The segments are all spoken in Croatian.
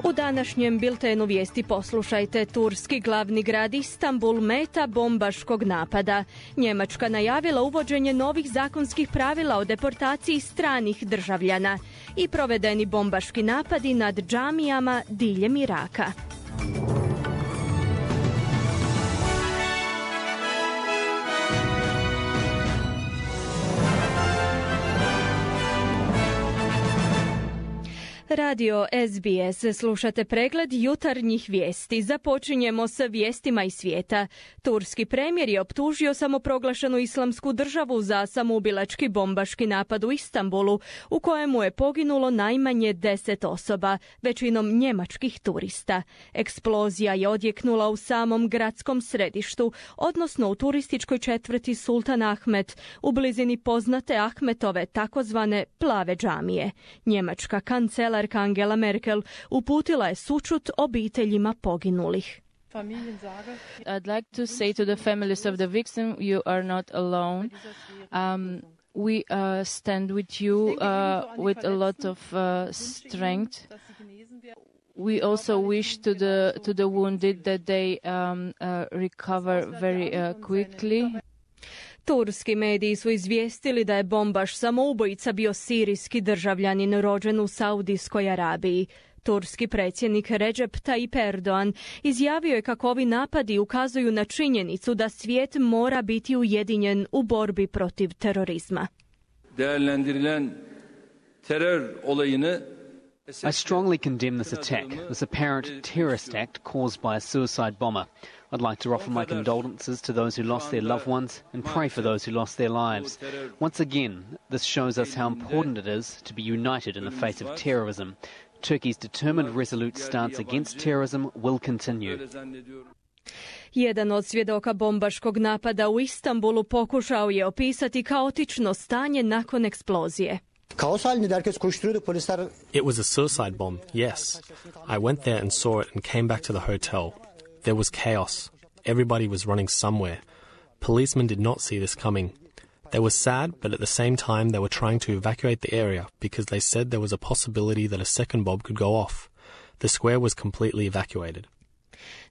U današnjem biltenu vijesti poslušajte: turski glavni grad Istanbul meta bombaškog napada. Njemačka najavila uvođenje novih zakonskih pravila o deportaciji stranih državljana i provedeni bombaški napadi nad džamijama diljem Iraka. Radio SBS, slušate pregled jutarnjih vijesti. Započinjemo sa vijestima iz svijeta. Turski premijer je optužio samoproglašenu Islamsku državu za samoubilački bombaški napad u Istanbulu, u kojemu je poginulo najmanje 10 osoba, većinom njemačkih turista. Eksplozija je odjeknula u samom gradskom središtu, odnosno u turističkoj četvrti Sultan Ahmed, u blizini poznate Ahmetove takozvane plave džamije. Njemačka kancelarka Angela Merkel uputila je sućut obiteljima poginulih. I'd like to say to the families of the victim, you are not alone. We stand with you with a lot of strength. We also wish to the wounded that they recover very quickly. Turski mediji su izvijestili da je bombaš samoubojica bio sirijski državljanin rođen u Saudijskoj Arabiji. Turski predsjednik Recep Tayyip Erdogan izjavio je kako ovi napadi ukazuju na činjenicu da svijet mora biti ujedinjen u borbi protiv terorizma. Değerlendirilen terör olayını I strongly condemn this attack, this apparent terrorist act caused by a suicide bomber. I'd like to offer my condolences to those who lost their loved ones and pray for those who lost their lives. Once again, this shows us how important it is to be united in the face of terrorism. Turkey's determined, resolute stance against terrorism will continue. Jedan od svjedoka bombaškog napada u Istanbulu pokušao je opisati kaotično stanje nakon eksplozije. It was a suicide bomb, yes. I went there and saw it and came back to the hotel. There was chaos. Everybody was running somewhere. Policemen did not see this coming. They were sad, but at the same time they were trying to evacuate the area because they said there was a possibility that a second bomb could go off. The square was completely evacuated.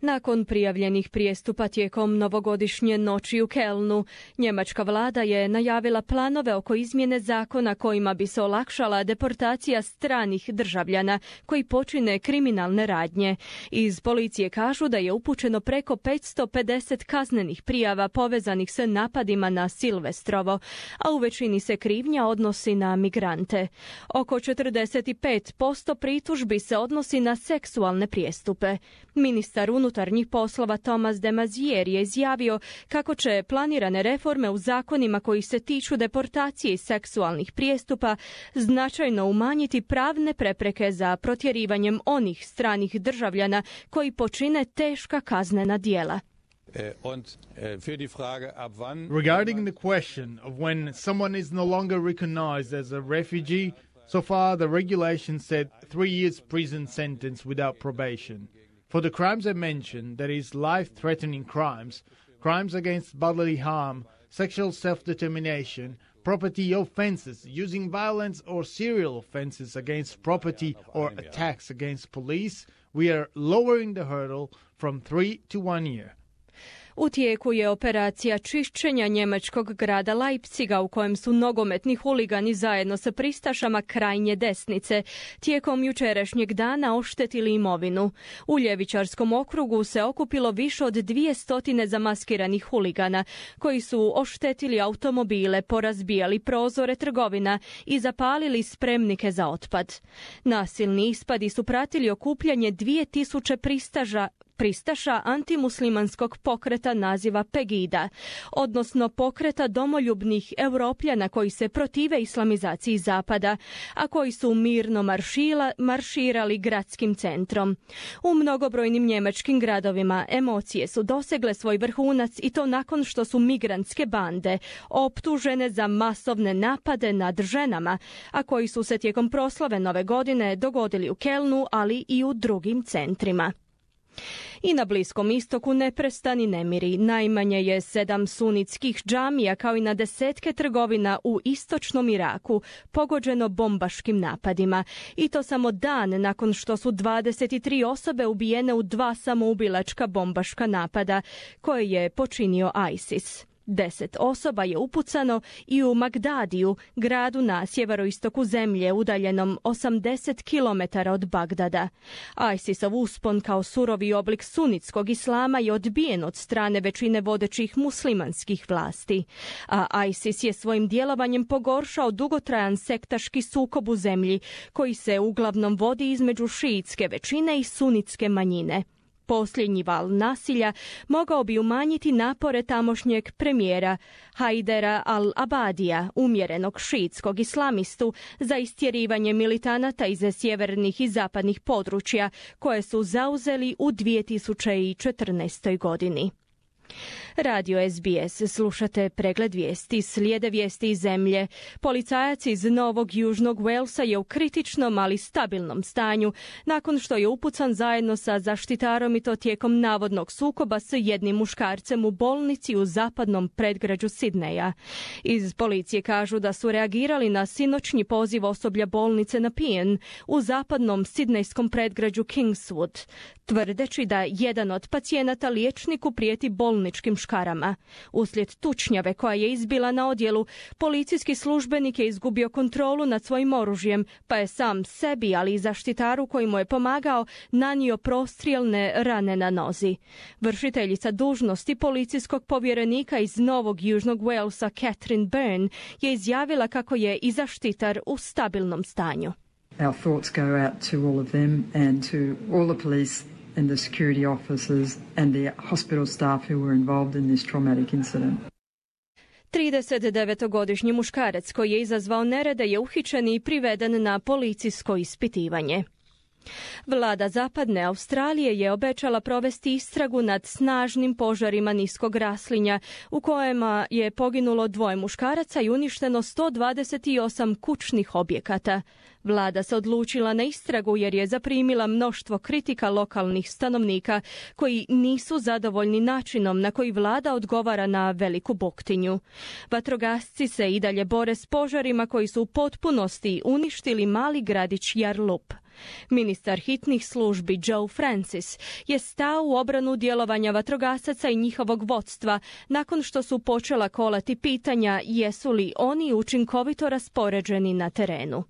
Nakon prijavljenih prijestupa tijekom novogodišnje noći u Kelnu, njemačka vlada je najavila planove oko izmjene zakona kojima bi se olakšala deportacija stranih državljana koji počine kriminalne radnje. Iz policije kažu da je upućeno preko 550 kaznenih prijava povezanih s napadima na Silvestrovo, a u većini se krivnja odnosi na migrante. Oko 45% pritužbi se odnosi na seksualne prijestupe. Ministar unutarnjih poslova Thomas de Maizière je izjavio kako će planirane reforme u zakonima koji se tiču deportacije i seksualnih prijestupa značajno umanjiti pravne prepreke za protjerivanjem onih stranih državljana koji počine teška kaznena djela. Regarding the question of when someone is no longer recognized as a refugee, so far the regulation said 3 years prison sentence without probation. For the crimes I mentioned, that is life-threatening crimes, crimes against bodily harm, sexual self-determination, property offenses, using violence or serial offenses against property or attacks against police, we are lowering the hurdle from 3 to 1 year. U tijeku je operacija čišćenja njemačkog grada Leipziga u kojem su nogometni huligani zajedno sa pristašama krajnje desnice tijekom jučerašnjeg dana oštetili imovinu. U ljevičarskom okrugu se okupilo više od 200 zamaskiranih huligana koji su oštetili automobile, porazbijali prozore trgovina i zapalili spremnike za otpad. Nasilni ispadi su pratili okupljanje 2000 pristaša antimuslimanskog pokreta naziva Pegida, odnosno pokreta domoljubnih Europljana koji se protive islamizaciji Zapada, a koji su mirno marširali gradskim centrom. U mnogobrojnim njemačkim gradovima emocije su dosegle svoj vrhunac i to nakon što su migrantske bande optužene za masovne napade nad ženama, a koji su se tijekom proslave Nove godine dogodili u Kelnu, ali i u drugim centrima. I na Bliskom istoku neprestani nemiri. Najmanje je 7 sunitskih džamija kao i na desetke trgovina u istočnom Iraku pogođeno bombaškim napadima. I to samo dan nakon što su 23 osobe ubijene u 2 samoubilačka bombaška napada koje je počinio ISIS. 10 osoba je upucano i u Magdadiju, gradu na sjeveroistoku zemlje udaljenom 80 km od Bagdada. ISIS-ov uspon kao surovi oblik sunitskog islama je odbijen od strane većine vodećih muslimanskih vlasti. A ISIS je svojim djelovanjem pogoršao dugotrajan sektaški sukob u zemlji koji se uglavnom vodi između šiitske većine i sunitske manjine. Posljednji val nasilja mogao bi umanjiti napore tamošnjeg premijera Haidera al-Abadija, umjerenog šiitskog islamistu, za istjerivanje militanata iz sjevernih i zapadnih područja koje su zauzeli u 2014. godini. Radio SBS, slušate pregled vijesti, slijede vijesti iz zemlje. Policajac iz Novog Južnog Walesa je u kritičnom, ali stabilnom stanju nakon što je upucan zajedno sa zaštitarom i to tijekom navodnog sukoba s jednim muškarcem u bolnici u zapadnom predgrađu Sidneja. Iz policije kažu da su reagirali na sinoćnji poziv osoblja bolnice na Pijen u zapadnom sidnejskom predgrađu Kingswood, tvrdeći da jedan od pacijenata liječniku prijeti bolničkim škarama. Uslijed tučnjave koja je izbila na odjelu, policijski službenik je izgubio kontrolu nad svojim oružjem, pa je sam sebi, ali i zaštitaru koji mu je pomagao, nanio prostrijelne rane na nozi. Vršiteljica dužnosti policijskog povjerenika iz Novog Južnog Walesa, Catherine Byrne, je izjavila kako je i zaštitar u stabilnom stanju. Our thoughts go out to all of them and to all the police and the security officers and the hospital staff who were involved in this traumatic incident. 39-godišnji muškarac koji je izazvao nerede je uhićen i priveden na policijsko ispitivanje. Vlada Zapadne Australije je obećala provesti istragu nad snažnim požarima niskog raslinja u kojima je poginulo 2 muškaraca i uništeno 128 kućnih objekata. Vlada se odlučila na istragu jer je zaprimila mnoštvo kritika lokalnih stanovnika koji nisu zadovoljni načinom na koji vlada odgovara na veliku buktinju. Vatrogasci se i dalje bore s požarima koji su u potpunosti uništili mali gradić Yarlup. Ministar hitnih službi Joe Francis je stao u obranu djelovanja vatrogasaca i njihovog vodstva nakon što su počela kolati pitanja jesu li oni učinkovito raspoređeni na terenu.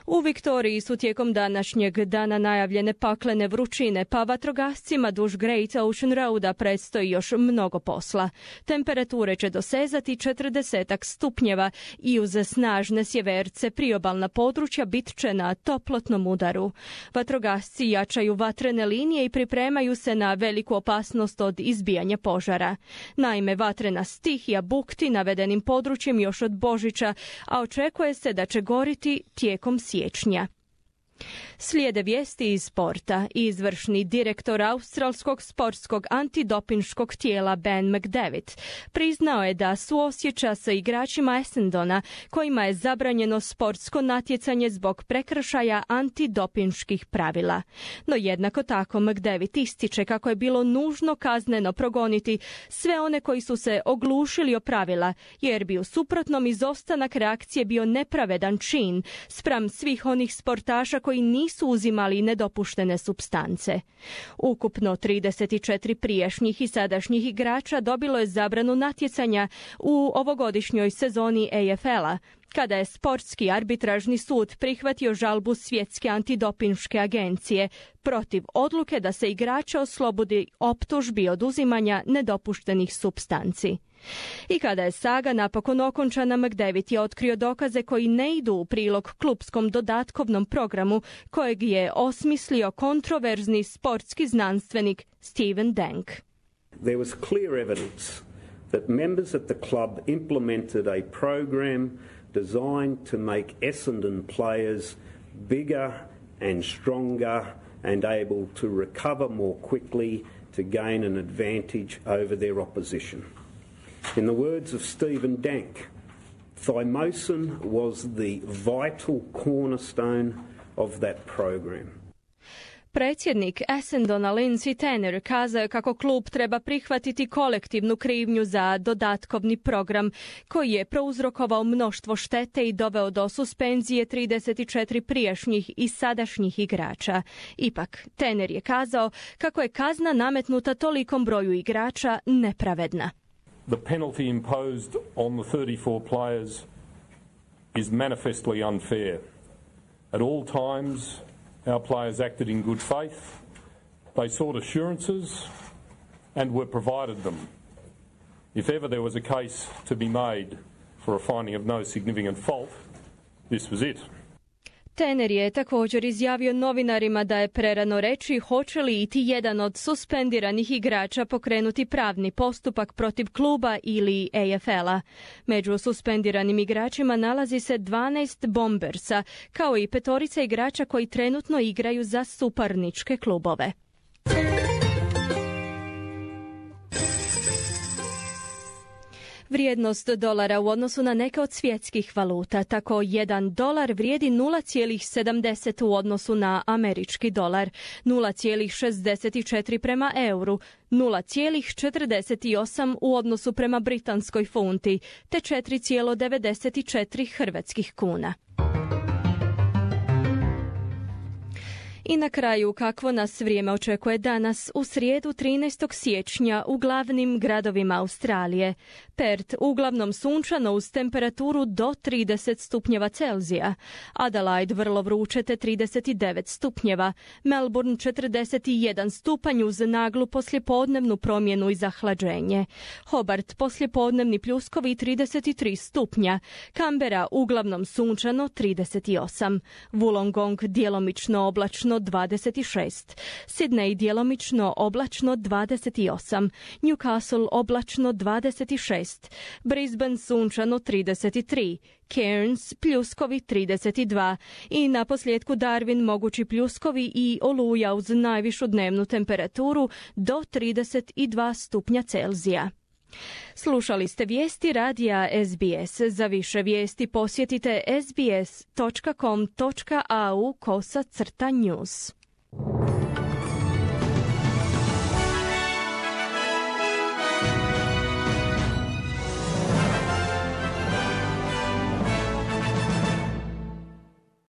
U Viktoriji su tijekom današnjeg dana najavljene paklene vrućine, pa vatrogascima duž Great Ocean Roada predstoji još mnogo posla. Temperature će dosezati 40 stupnjeva i uz snažne sjeverce priobalna područja bit će na toplotnom udaru. Vatrogasci jačaju vatrene linije i pripremaju se na veliku opasnost od izbijanja požara. Naime, vatrena stihija bukti navedenim područjem još od Božića, a očekuje se da će goriti tijekom siječnja. Slijede vijesti iz sporta. Izvršni direktor australskog sportskog antidopinškog tijela Ben McDavid priznao je da suosjeća sa igračima Essendona kojima je zabranjeno sportsko natjecanje zbog prekršaja antidopinških pravila. No jednako tako McDavid ističe kako je bilo nužno kazneno progoniti sve one koji su se oglušili o pravila, jer bi u suprotnom izostanak reakcije bio nepravedan čin spram svih onih sportaša koji nisu uzimali nedopuštene supstance. Ukupno 34 prijašnjih i sadašnjih igrača dobilo je zabranu natjecanja u ovogodišnjoj sezoni AFL-a, kada je sportski arbitražni sud prihvatio žalbu Svjetske antidopinške agencije protiv odluke da se igrače oslobodi optužbi oduzimanja nedopuštenih supstanci. I kada je saga napokon okončana, McDavid je otkrio dokaze koji ne idu u prilog klupskom dodatkovnom programu kojeg je osmislio kontroverzni sportski znanstvenik Steven Dank. There was clear evidence that members at the club implemented a program designed to make Essendon players bigger and stronger and able to recover more quickly to gain an advantage over their opposition. In the words of Stephen Dank, thymosin was the vital cornerstone of that program. Predsjednik Essendona Lindsay Tanner kazao je kako klub treba prihvatiti kolektivnu krivnju za dodatkovni program koji je prouzrokovao mnoštvo štete i doveo do suspenzije 34 prijašnjih i sadašnjih igrača. Ipak, Tanner je kazao kako je kazna nametnuta tolikom broju igrača nepravedna. The penalty imposed on the 34 players is manifestly unfair. At all times, our players acted in good faith. They sought assurances and were provided them. If ever there was a case to be made for a finding of no significant fault, this was it. Tanner je također izjavio novinarima da je prerano reći hoće li iti jedan od suspendiranih igrača pokrenuti pravni postupak protiv kluba ili AFL-a. Među suspendiranim igračima nalazi se 12 Bombersa, kao i 5 igrača koji trenutno igraju za suparničke klubove. Vrijednost dolara u odnosu na neke od svjetskih valuta. Tako $1 vrijedi 0,70 u odnosu na američki dolar, 0,64 prema euru, 0,48 u odnosu prema britanskoj funti, te 4,94 hrvatskih kuna. I na kraju, kakvo nas vrijeme očekuje danas u srijedu 13. siječnja u glavnim gradovima Australije. Perth uglavnom sunčano uz temperaturu do 30 stupnjeva Celzija. Adelaide vrlo vruće te 39 stupnjeva. Melbourne 41 stupanj uz naglu poslijepodnevnu promjenu i zahlađenje. Hobart poslijepodnevni pljuskovi 33 stupnja. Canberra uglavnom sunčano 38. Wollongong djelomično oblačno 26. Sydney djelomično oblačno 28. Newcastle oblačno 26. Brisbane sunčano 33. Cairns pljuskovi 32. I na posljedku Darwin mogući pljuskovi i oluja uz najvišu dnevnu temperaturu do 32 stupnja Celzija. Slušali ste vijesti radija SBS. Za više vijesti posjetite sbs.com.au/news.